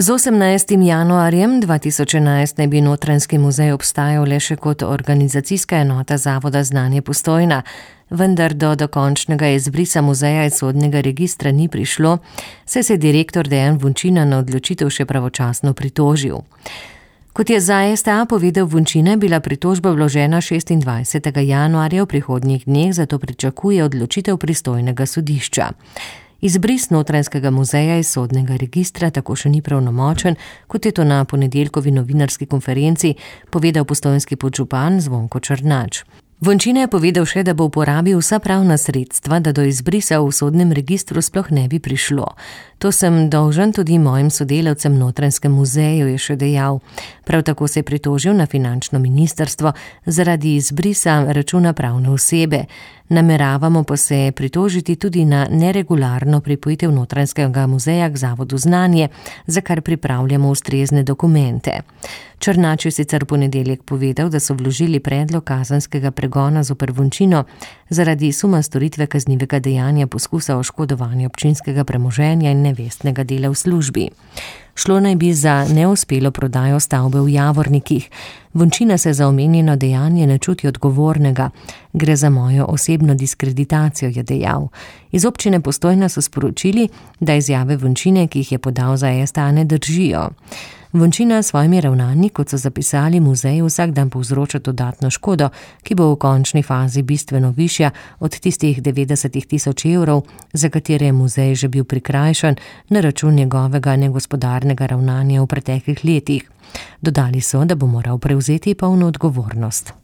Z 18. januarjem 2011 naj bi Notranjski muzej obstajal le še kot organizacijska enota Zavoda Znanje Postojna, vendar do dokončnega izbrisa muzeja iz sodnega registra ni prišlo, saj se je direktor Dejan Vončina na odločitev še pravočasno pritožil. Kot je za STA povedal Vončina, je bila pritožba vložena 26. januarja v prihodnjih dneh, zato pričakuje odločitev pristojnega sodišča. Izbris Notranjskega muzeja iz sodnega registra tako še ni pravnomočen, kot je to na ponedeljkovi novinarski konferenci povedal postojnski podžupan Zvonko Črnač. Vončina je povedal še, da bo uporabil vsa pravna sredstva, da do izbrisa v sodnem registru sploh ne bi prišlo. To sem dolžan tudi mojim sodelavcem Notranjskem muzeju, je še dejal. Prav tako se je pritožil na finančno ministrstvo zaradi izbrisa računa pravne osebe. Nameravamo pa se pritožiti tudi na neregularno pripojitev Notranjskega muzeja k Zavodu Znanje, za kar pripravljamo ustrezne dokumente. Črnač je sicer v ponedeljek povedal, da so vložili predlog kazenskega pregona zoper Vončino zaradi suma storitve kaznivega dejanja poskusa oškodovanja občinskega premoženja in nevestnega dela v službi. Šlo naj bi za neuspelo prodajo stavbe v Javornikih. Vončina se za omenjeno dejanje ne čuti odgovornega. Gre za mojo osebno diskreditacijo, je dejal. Iz občine Postojna so sporočili, da izjave Vončine, ki jih je podal za STA, ne držijo. Vončina s svojimi ravnanji, kot so zapisali, muzeju vsak dan povzroča dodatno škodo, ki bo v končni fazi bistveno višja od tistih 90 000 evrov, za katere je muzej že bil prikrajšan na račun njegovega negospodarnega ravnanja v preteklih letih. Dodali so, da bo moral prevzeti polno odgovornost.